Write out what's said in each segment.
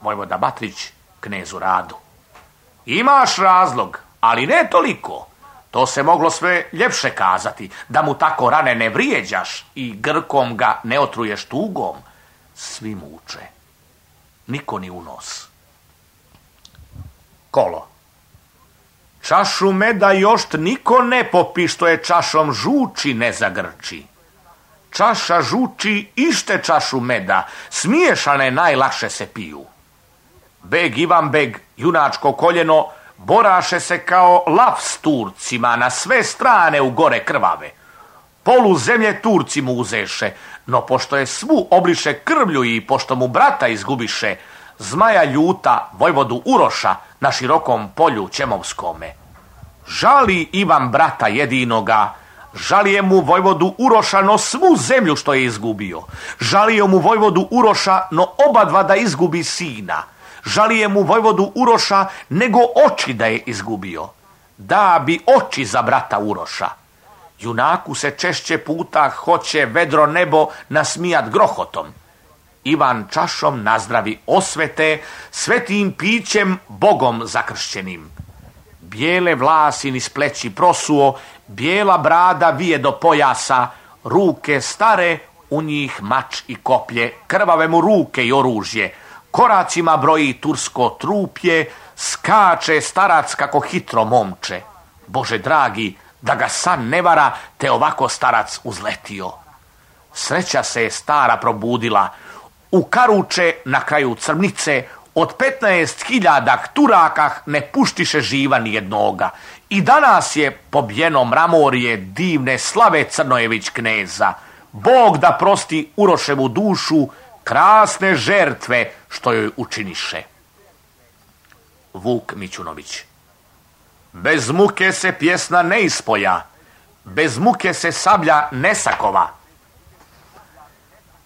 vojvoda Batrić knezu Radu. Imaš razlog, ali ne toliko. To se moglo sve ljepše kazati, da mu tako rane ne vrijeđaš i grkom ga ne otruješ tugom. Svi muče. Niko ni u nos. Kolo. Čašu meda jošt niko ne popi, što je čašom žuči ne zagrči. Čaša žuči ište čašu meda, smiješane najlakše se piju. Beg Ivan Beg, junačko koljeno, boraše se kao lav s Turcima na sve strane u gore krvave. Polu zemlje Turci mu uzeše, no pošto je svu obliše krvlju i pošto mu brata izgubiše, zmaja ljuta vojvodu Uroša na širokom polju Ćemovskome. Žali Ivan brata jedinoga, žalije mu vojvodu Uroša no svu zemlju što je izgubio. Žalije mu vojvodu Uroša no obadva da izgubi sina. Žalije mu vojvodu Uroša nego oči da je izgubio. Da bi oči za brata Uroša. Junaku se češće puta hoće vedro nebo nasmijat grohotom. Ivan čašom nazdravi osvete, svetim pićem Bogom zakršćenim. Bijele vlasi niz pleći prosuo, bijela brada vije do pojasa, ruke stare, u njih mač i koplje, krvave mu ruke i oružje, koracima broji tursko trupje, skače starac kako hitro momče. Bože dragi, da ga san ne vara, te ovako starac uzletio. Sreća se je stara probudila, u karuče na kraju Crnice od 15.000 Turaka ne puštiše živa nijednoga. I danas je pobijeno mramorje divne slave Crnojević kneza. Bog da prosti Uroševu dušu krasne žertve što joj učiniše. Vuk Mićunović. Bez muke se pjesna ne ispoja, bez muke se sablja ne sakova.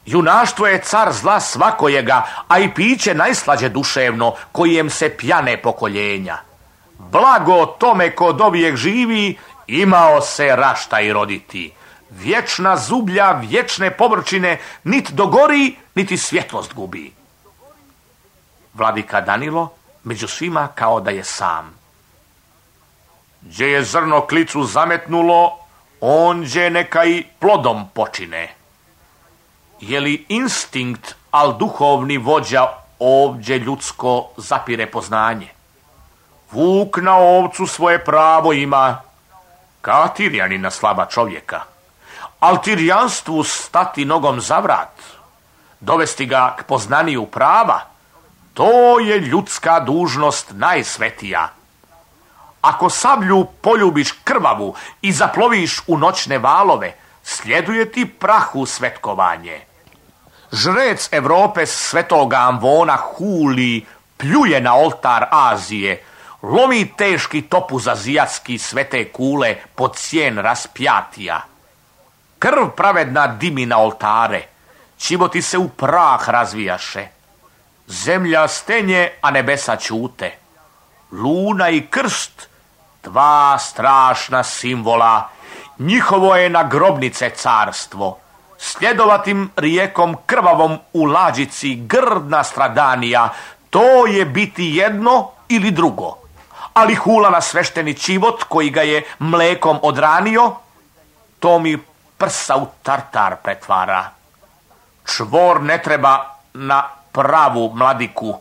Junaštvo je car zla svakojega, a i piće najslađe duševno, kojem se pjane pokoljenja. Blago tome ko dovijek živi, imao se rašta i roditi. Vječna zublja, vječne povrčine, nit dogori, niti svjetlost gubi. Vladika Danilo, među svima kao da je sam. Gdje je zrno klicu zametnulo, onđe neka i plodom počine. Je li instinkt, al duhovni vođa ovdje ljudsko zapire poznanje? Vuk na ovcu svoje pravo ima, ka Tirjanina slaba čovjeka. Al tirjanstvu stati nogom za vrat, dovesti ga k poznaniju prava, to je ljudska dužnost najsvetija. Ako sablju poljubiš krvavu i zaploviš u noćne valove, sljeduje ti prahu svetkovanje. Žrec Evrope svetoga Amvona huli, pljuje na oltar Azije, lomi teški topuz azijatski svete kule pod sjen raspjatija. Krv pravedna dimi na oltare, čivoti se u prah razvijaše. Zemlja stenje, a nebesa ćute. Luna i krst, dva strašna simbola, njihovo je na grobnice carstvo. Sljedovatim rijekom krvavom u lađici grdna stradanija, to je biti jedno ili drugo. Ali hula na svešteni čivot koji ga je mlekom odranio, to mi prsa u tartar pretvara. Čvor ne treba na pravu mladiku.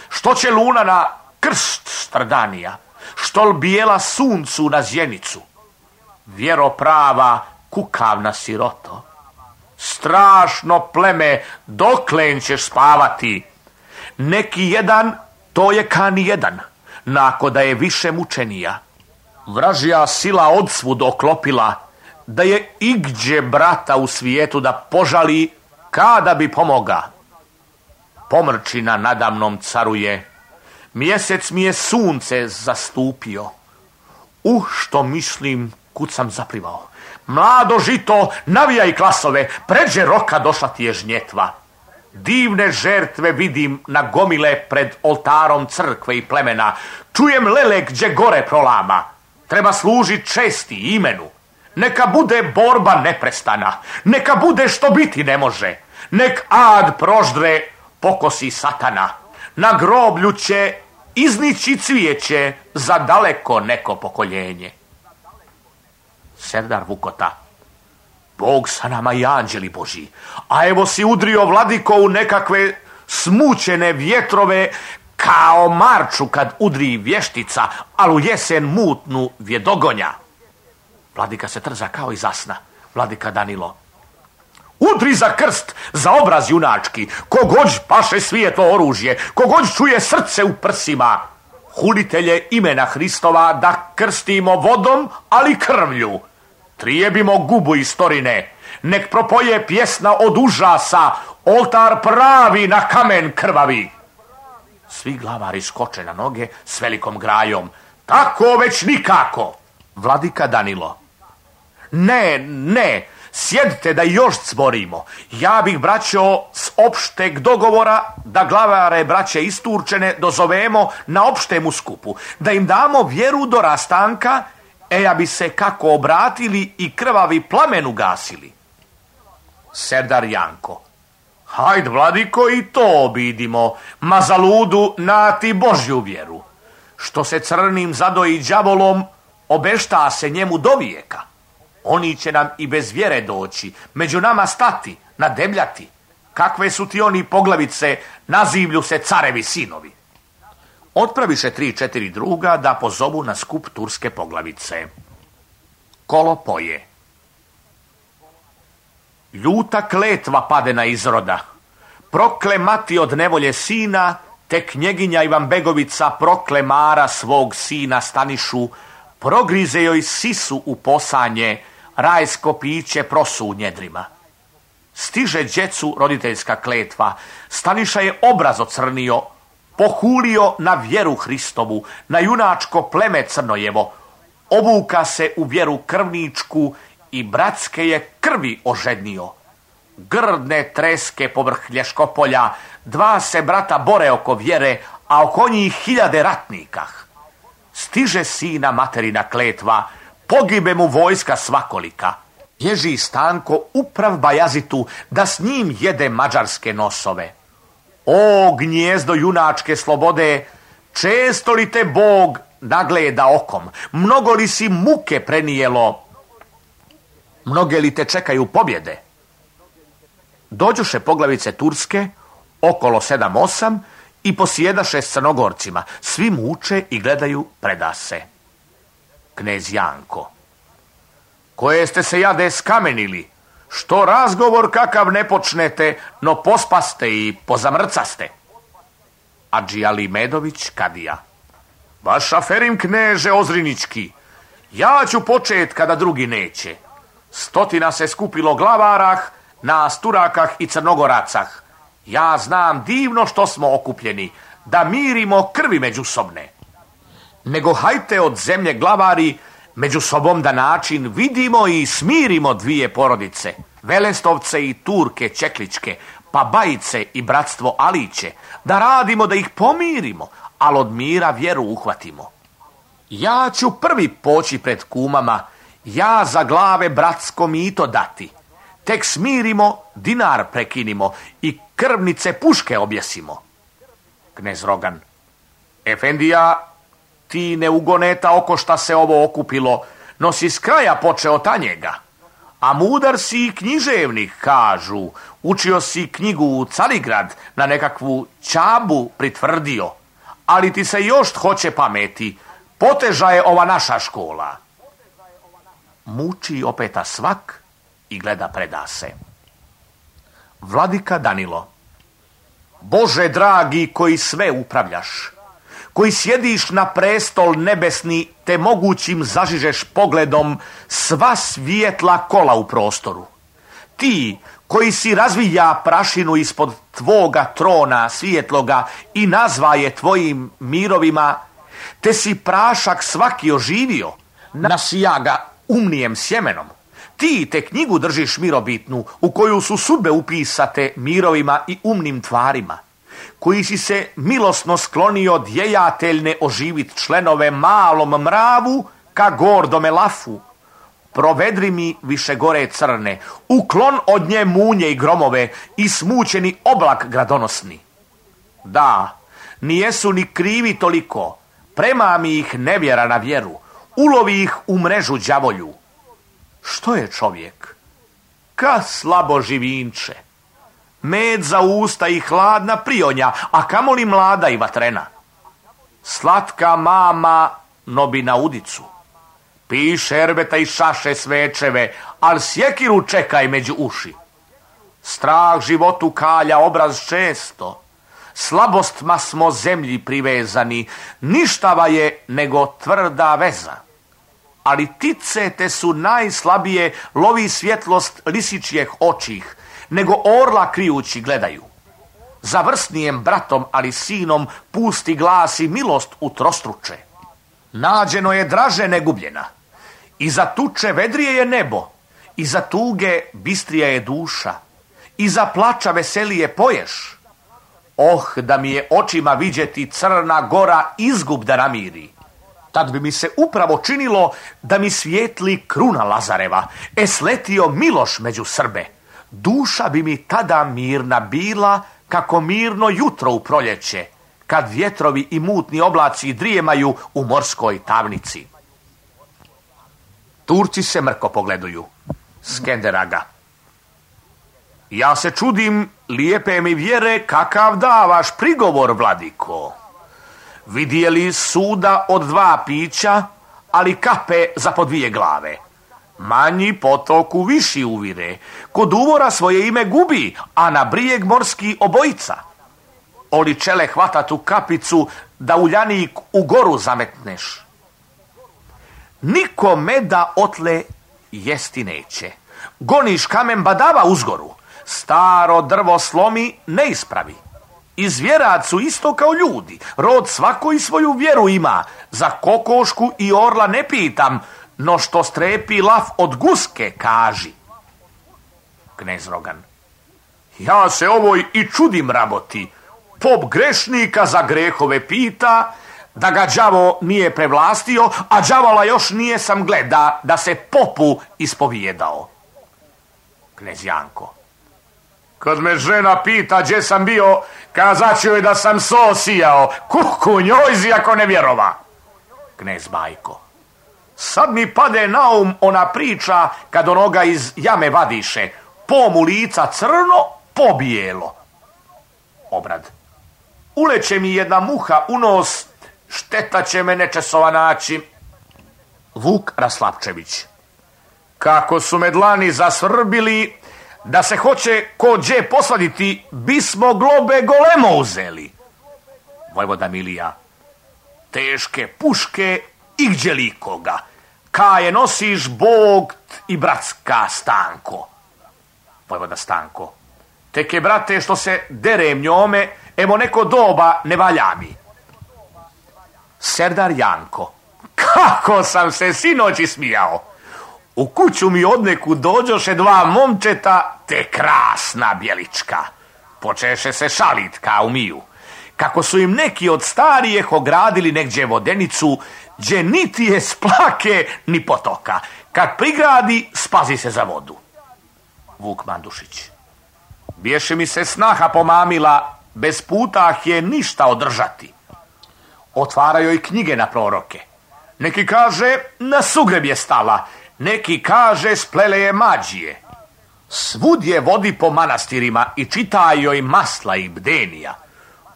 Što će luna na krst stradanija? Štol bijela suncu na zjenicu? Vjero prava, kukavna siroto. Strašno pleme, doklen ćeš spavati? Neki jedan, to je ka nijedan, nako da je više mučenija. Vražija sila odsvud oklopila, da je igdje brata u svijetu da požali, kada bi pomoga. Pomrčina nadamnom caruje, mjesec mi je sunce zastupio. Što mislim, kud sam zaplivao. Mlado žito, navijaj klasove, pređe roka došla ti je žnjetva. Divne žertve vidim na gomile pred oltarom crkve i plemena. Čujem lele gdje gore prolama. Treba služit česti imenu. Neka bude borba neprestana. Neka bude što biti ne može. Nek ad proždre pokosi satana. na groblju će iznići cvijeće za daleko neko pokoljenje. Serdar Vukota: Bog sa nama i anđeli Božji, a evo si udrio, vladiko, u nekakve smućene vjetrove, kao marču kad udri vještica, ali u jesen mutnu vjedogonja. Vladika se trza kao iz zasna. Vladika Danilo: Udri za krst, za obraz junački, kogod paše svijetlo oružje, kogod čuje srce u prsima. Hulitelje imena Hristova da krstimo vodom, ali krvlju. Trijebimo gubu istorine, nek propoje pjesna od užasa, oltar pravi na kamen krvavi. Svi glavari skoče na noge s velikom grajom: Tako već nikako. Vladika Danilo: Ne, sjedite da još cborimo. Ja bih, braćo, s opšteg dogovora da glavare braće isturčene dozovemo na opštemu skupu, da im damo vjeru do rastanka, ja bi se kako obratili i krvavi plamen ugasili. Serdar Janko: Hajd, vladiko, i to obidimo, ma za ludu na ti Božju vjeru. Što se crnim zadoji đavolom, obešta se njemu do vijeka. Oni će nam i bez vjere doći, među nama stati, nadebljati. Kakve su ti oni poglavice, nazivlju se carevi sinovi. Otpraviše 3-4 druga da pozovu na skup turske poglavice. Kolo poje: Ljuta kletva pade na izroda, prokle mati od nevolje sina, te knjeginja Ivanbegovica prokle Mara svog sina Stanišu, progrize joj sisu u posanje, rajsko piće prosu u njedrima. Stiže djecu roditeljska kletva, Staniša je obraz ocrnio, pohulio na vjeru Hristovu, na junačko pleme Crnojevo, obuka se u vjeru krvničku i bratske je krvi ožednio. Grdne treske povrh Lješkopolja, 2 se brata bore oko vjere, a oko njih 1000 ratnika. Stiže sina materina kletva, pogibe mu vojska svakolika. Bježi Stanko uprav Bajazitu da s njim jede mađarske nosove. O gnjezdo junačke slobode, često li te Bog nagleda okom, mnogo li si muke prenijelo, mnoge li te čekaju pobjede? Dođoše poglavice turske, okolo 7-8, i posjedaše s Crnogorcima. Svi muče i gledaju predase. Knez Janko: Koje ste se, jade, skamenili? Što razgovor kakav ne počnete, no pospaste i pozamrcaste? Adži Ali Medović, kadija: Vaš aferim, kneže Ozrinički, ja ću počet kada drugi neće. 100 se skupilo glavarah, nas Turakah i Crnogoracah. Ja znam divno što smo okupljeni, da mirimo krvi međusobne. Nego hajte od zemlje glavari, među sobom da način vidimo i smirimo 2 porodice, Velestovce i Turke Čekličke, pa Bajice i bratstvo Aliće, da radimo da ih pomirimo, ali od mira vjeru uhvatimo. Ja ću prvi poći pred kumama, ja za glave bratsko mito dati. Tek smirimo, dinar prekinimo i krvnice puške objesimo. Knez Rogan: Efendija, ti ne ugoneta oko šta se ovo okupilo, no si s kraja počeo tanjega. A mudar si i književnik, kažu, učio si knjigu u Carigrad, na nekakvu Čabu pritvrdio, ali ti se još hoće pameti, poteža je ova naša škola. Muči opeta svak i gleda predase. Vladika Danilo: Bože dragi, koji sve upravljaš, koji sjediš na prestol nebesni, te mogućim zažižeš pogledom sva svijetla kola u prostoru. Ti koji si razvija prašinu ispod tvoga trona svijetloga i nazva je tvojim mirovima, te si prašak svaki oživio, nasija ga umnijem sjemenom. Ti te knjigu držiš mirobitnu, u koju su sudbe upisate mirovima i umnim tvarima, koji si se milosno sklonio djejateljne oživit členove malom mravu ka gordome lafu. Provedri mi više gore crne, uklon od nje munje i gromove i smućeni oblak gradonosni. Da, nijesu ni krivi toliko, premami ih nevjera na vjeru, ulovi ih u mrežu đavolju. Što je čovjek? Ka slabo živinče, med za usta i hladna prionja, a kamoli mlada i vatrena. Slatka mama nobi na udicu, pi šerbeta i šaše svečeve, al sjekiru čekaj među uši. Strah životu kalja obraz često, slabostima smo zemlji privezani, ništava je nego tvrda veza. Ali tice te su najslabije, lovi svjetlost lisičjeh očih, nego orla krijući gledaju. Za vrsnijem bratom, ali sinom, pusti glas i milost utrostruče. Nađeno je draže negubljena, iza tuče vedrije je nebo, iza tuge bistrija je duša, iza plača veselije poješ. Oh, da mi je očima viđeti Crna Gora izgub da namiri. Tad bi mi se upravo činilo da mi svijetli kruna Lazareva, sletio Miloš među Srbe. Duša bi mi tada mirna bila, kako mirno jutro u proljeće, kad vjetrovi i mutni oblaci drijemaju u morskoj tamnici. Turci se mrko pogleduju. Skenderaga. Ja se čudim, lijepe mi vjere, kakav davaš prigovor, vladiko. Vidjeli suda od 2 pića, ali kape za po 2 glave. Manji potoku viši uvire, kod uvora svoje ime gubi, a na brijeg morski obojica. Oli čele hvata tu kapicu, da uljanik u goru zametneš. Niko meda otle jesti neće. Goniš kamen badava uzgoru, staro drvo slomi ne ispravi. Izvjerac su isto kao ljudi, rod svako i svoju vjeru ima, za kokošku i orla ne pitam, no što strepi lav od guske, kaži. Knez Rogan. Ja se ovoj i čudim raboti, pop grešnika za grehove pita, da ga đavo nije prevlastio, a đavola još nije sam gleda da se popu ispovijedao. Knez Janko. Kad me žena pita gdje sam bio, kazat ću joj da sam so sijao, kuku njojzi ako ne vjerova. Knez Bajko. Sad mi pade na um ona priča kad onoga iz jame vadiše, po mu lica crno, po bijelo. Obrad. Uleće mi jedna muha u nos, šteta će me nečesova naći. Vuk Raslapčević. Kako su me dlani zasvrbili, da se hoće ko đe posladiti, bismo globe golemo uzeli. Vojvoda Milija. Teške puške i gdje likoga, kaje nosiš Bog i bratska Stanko. Vojvoda Stanko. Tek je, brate, što se derem njome, evo neko doba ne valja mi. Serdar Janko. Kako sam se sinoći smijao. U kuću mi odneku dođoše 2 momčeta, te krasna bjelička. Počeše se šalit kao miju. Kako su im neki od starijeh ogradili negdje vodenicu, gdje niti je splake ni potoka. Kad prigradi, spazi se za vodu. Vuk Mandušić. Bješe mi se snaha pomamila, bez putah je ništa održati. Otvaraju joj knjige na proroke. Neki kaže, na sugreb je stala, neki kaže, splele je mađije. Svud je vodi po manastirima i čita joj masla i bdenija.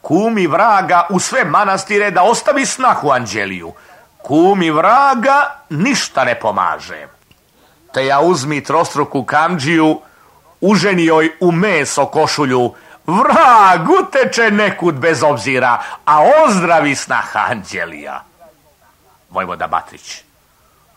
Kumi vraga u sve manastire da ostavi snahu Anđeliju. Kumi vraga ništa ne pomaže. Te ja uzmi trostruku kamđiju, uženi joj u meso košulju, vrag uteče nekud bez obzira, a ozdravi snaha Anđelija. Vojvoda Batrić.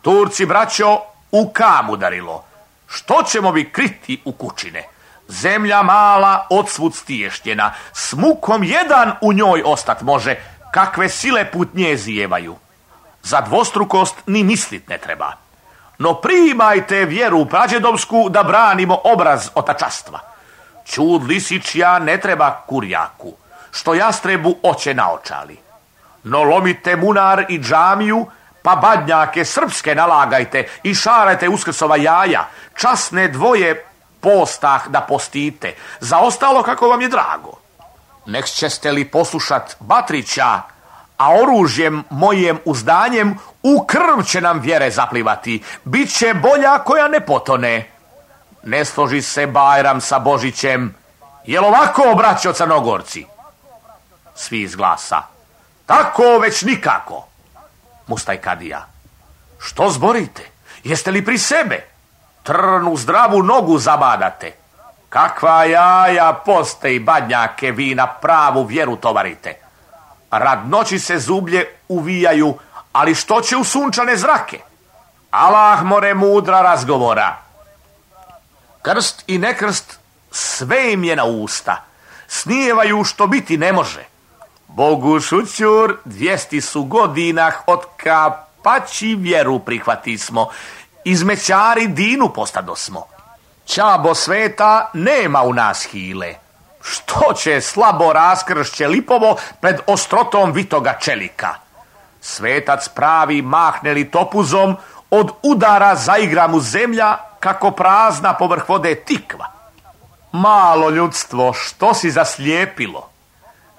Turci, braćo, u kam udarilo. Što ćemo vi kriti u kućine? Zemlja mala, odsvud stiještjena, s mukom jedan u njoj ostat može, kakve sile put nje zijevaju. Za dvostrukost ni mislit ne treba. No primajte vjeru prađedovsku da branimo obraz otačastva. Čud lisičja ne treba kurjaku, što jastrebu oće naočali. No lomite munar i džamiju, pa badnjake srpske nalagajte i šarajte uskrsova jaja, časne dvoje postah da postite, za ostalo kako vam je drago. nek ćeste li poslušat Batrića, a oružjem mojem uzdanjem u krv će nam vjere zaplivati. Biće bolja koja ne potone. Ne složi se Bajram sa Božićem. Jel ovako, braćo Crnogorci? Svi iz glasa. Tako već nikako. Mustaj Kadija. Što zborite? Jeste li pri sebe? Trn u zdravu nogu zabadate. Kakva jaja, poste i badnjake vi na pravu vjeru tovarite. Rad noći se zublje uvijaju, ali što će u sunčane zrake? Allah more mudra razgovora. Krst i nekrst sve im je na usta. Snijevaju što biti ne može. Bogu šućur 200 su godina od kapaći vjeru prihvatismo. Izmećari dinu postadosmo. Čabo sveta nema u nas hile. Što će slabo raskršće lipovo pred ostrotom vitoga čelika? Svetac pravi mahne li topuzom, od udara zaigra mu zemlja kako prazna povrh vode tikva. Malo ljudstvo, što si zaslijepilo?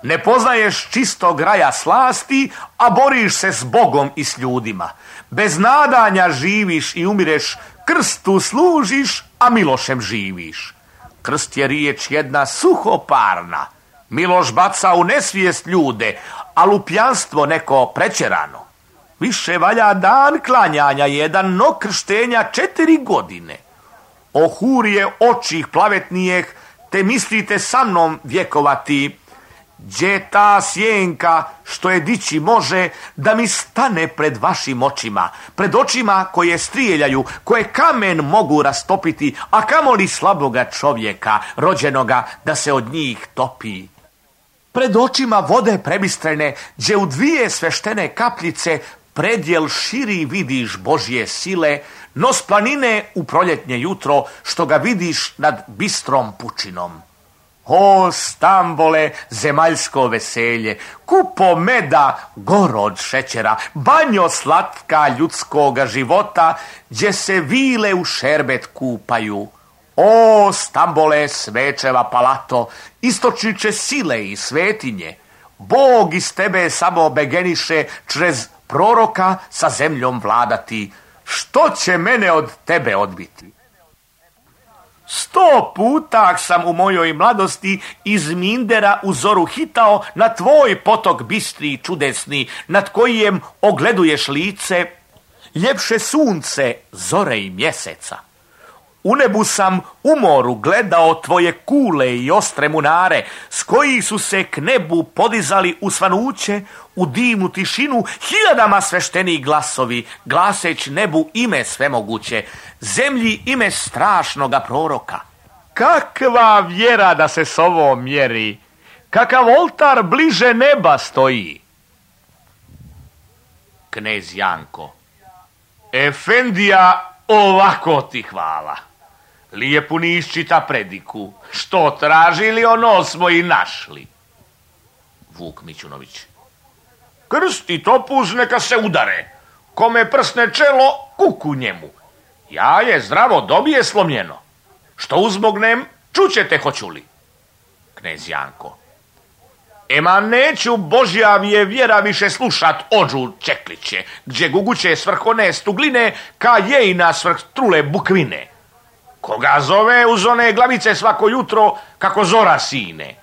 Ne poznaješ čistog raja slasti, a boriš se s Bogom i s ljudima. Bez nadanja živiš i umireš, krstu služiš, a Milošem živiš. Krst je riječ jedna suhoparna. Miloš baca u nesvijest ljude, a lupljanstvo neko prečerano. Više valja dan klanjanja jedan, no krštenja 4 godine. Ohurije očih plavetnijeh, te mislite sa mnom vjekovati. Gdje ta sjenka što je dići može da mi stane pred vašim očima, pred očima koje strijeljaju, koje kamen mogu rastopiti, a kamoli slaboga čovjeka, rođenoga, da se od njih topi. Pred očima vode prebistrene, gdje u 2 sveštene kapljice predjel širi vidiš Božje sile, no s planine u proljetnje jutro što ga vidiš nad bistrom pučinom. O Stambole, zemaljsko veselje, kupo meda, goro od šećera, banjo slatka ljudskoga života, gdje se vile u šerbet kupaju. O Stambole, svečeva palato, istočniče sile i svetinje, Bog iz tebe samo begeniše črez proroka sa zemljom vladati. Što će mene od tebe odbiti? 100 puta sam u mojoj mladosti iz Mindera u zoru hitao na tvoj potok bistri i čudesni, nad kojem ogleduješ lice, ljepše sunce, zore i mjeseca. U nebu sam u moru gledao tvoje kule i ostre munare, s koji su se k nebu podizali u svanuće, u divnu tišinu, hiljadama sveštenih glasovi, glaseć nebu ime svemoguće, zemlji ime strašnoga proroka. Kakva vjera da se s ovom mjeri, kakav oltar bliže neba stoji. Knez Janko. Efendija, ovako ti hvala. Lijepu ni iščita prediku. Što tražili, ono smo i našli. Vuk Mićunović. Krst i topuz neka se udare. Kome prsne čelo, kuku njemu. Ja je zdravo dobije slomljeno. Što uzmognem, čućete hoću li. Knez Janko. Ema neću Božjavije vjera više slušat ođu čekliće, gdje guguće svrh one stugline, ka jejna svrh trule bukvine. Koga zove uz one glavice svako jutro, kako zora sine.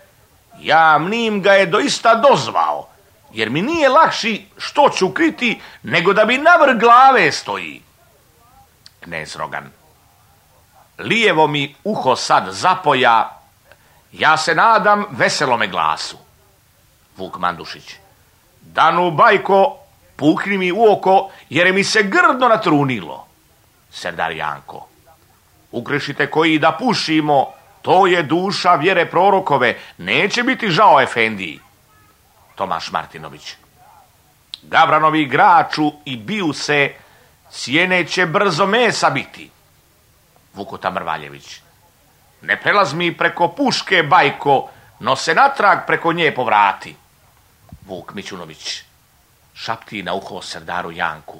Ja mnim ga je doista dozvao, jer mi nije lakši što ću kriti, nego da bi navrh glave stoji. Knez Rogan. Lijevo mi uho sad zapoja, ja se nadam veselome glasu. Vuk Mandušić. Danu bajko, pukni mi u oko, jer mi se grdno natrunilo. Serdar Janko. Ukrešite koji da pušimo, to je duša vjere prorokove, neće biti žao Efendiji. Tomaš Martinović. Gavranovi igraču i biju se, sjene će brzo mesa biti. Vukuta Mrvaljević. Ne prelaz mi preko puške bajko, no se natrag preko nje povrati. Vuk Mićunović. Šapti na uho Serdaru Janku.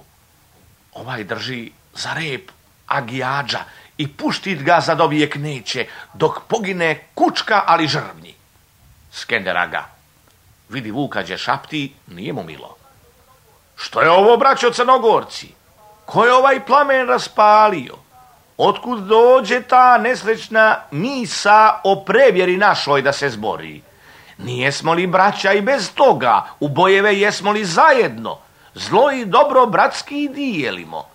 Ovaj drži za rep agijađa i puštit ga za dovijek neće, dok pogine kučka ali žrvnji. Skender Aga. Vidi Vuka đe šapti, nije mu milo. Što je ovo, braćo Crnogorci? Ko je ovaj plamen raspalio? Otkud dođe ta nesrećna misa o prevjeri našoj da se zbori? Nijesmo li braća i bez toga? U bojeve jesmo li zajedno? Zlo i dobro bratski dijelimo.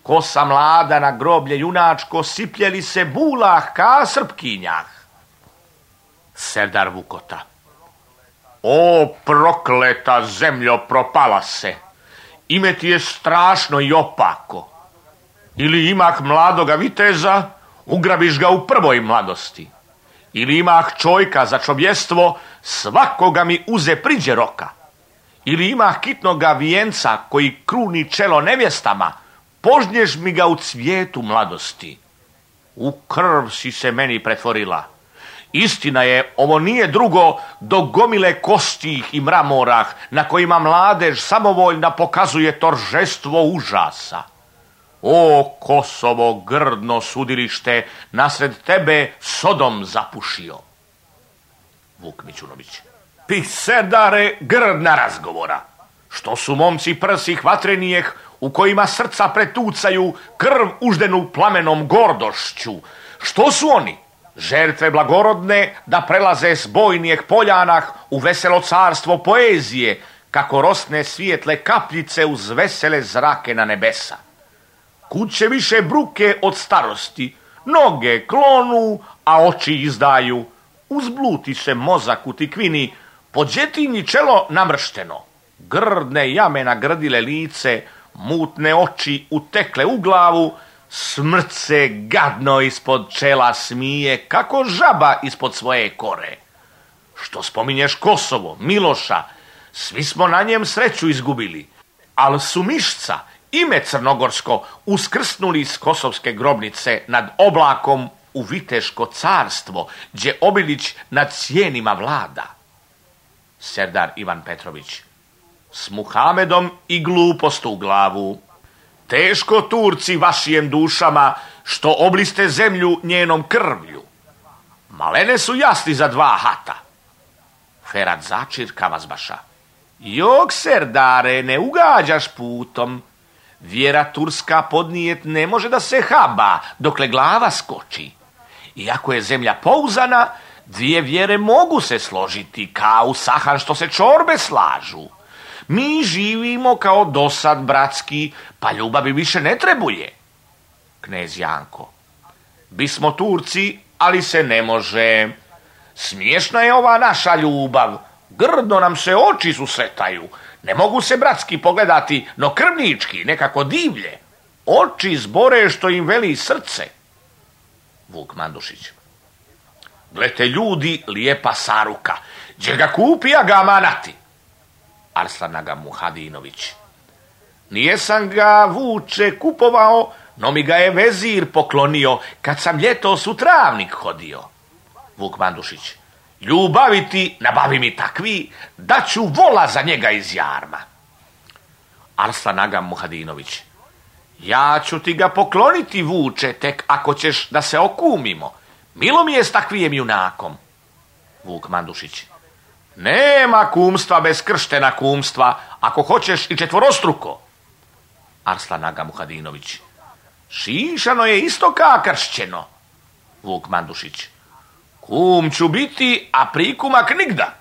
Kosa mlada na groblje junačko, sipljeli se bulah ka srpkinjah. Serdar Vukota. O prokleta zemljo, propala se. Ime ti je strašno i opako. Ili imah mladoga viteza, ugrabiš ga u prvoj mladosti. Ili imah čojka za čovjestvo, svakoga mi uze priđe roka. Ili imah kitnoga vijenca koji kruni čelo nevjestama, požnješ mi ga u cvijetu mladosti. U krv si se meni pretvorila. Istina je, ovo nije drugo do gomile kostih i mramorah na kojima mladež samovoljna pokazuje toržestvo užasa. O Kosovo, grdno sudilište, nasred tebe Sodom zapušio. Vuk Mićunović. Ti, Serdare, grdna razgovora. Što su momci prsih vatrenijeh u kojima srca pretucaju krv uždenu plamenom gordošću? Što su oni? Žrtve blagorodne da prelaze s bojnijeg poljanah u veselo carstvo poezije, kako rosne svijetle kapljice uz vesele zrake na nebesa. Kud će više bruke od starosti, noge klonu, a oči izdaju. Uzbluti se mozak u tikvini, po džetinji čelo namršteno. Grdne jame nagrdile lice, mutne oči utekle u glavu, smrt se gadno ispod čela smije, kako žaba ispod svoje kore. Što spominješ Kosovo, Miloša, svi smo na njem sreću izgubili, ali su Mišca, ime crnogorsko, uskrsnuli iz kosovske grobnice nad oblakom u Viteško carstvo, gdje Obilić nad cijenima vlada. Serdar Ivan Petrović. S Muhamedom i glupost u glavu. Teško Turci vašijem dušama, što obliste zemlju njenom krvlju. Malene su jasni za dva hata. Ferhat Začir Kavazbaša. Jok, Serdare, ne ugađaš putom. Vjera turska podnijet ne može da se haba, dokle glava skoči. Iako je zemlja pouzana, dvije vjere mogu se složiti, kao sahan što se čorbe slažu. Mi živimo kao dosad bratski, pa ljubavi više ne trebuje. Knez Janko. Bismo Turci, ali se ne može. Smiješna je ova naša ljubav. Grdno nam se oči susretaju. Ne mogu se bratski pogledati, no krvnički, nekako divlje. Oči zbore što im veli srce. Vuk Mandušić. Glete ljudi, lijepa saruka. Gdje ga kupi, a ga manati. Arslan Aga Muhadinović. Nijesam ga, Vuče, kupovao, no mi ga je vezir poklonio, kad sam ljetos u travnik hodio. Vuk Mandušić. Ljubavi ti, nabavi mi takvi, da ću vola za njega iz jarma. Arslan Aga Muhadinović. Ja ću ti ga pokloniti, Vuče, tek ako ćeš da se okumimo. Milo mi je s takvijem junakom. Vuk Mandušić. Nema kumstva bez krštena kumstva, ako hoćeš i četvorostruko. Arslan Aga Muhadinović. Šišano je isto ka kršćeno. Vuk Mandušić. Kum ću biti, a prikumak nigda.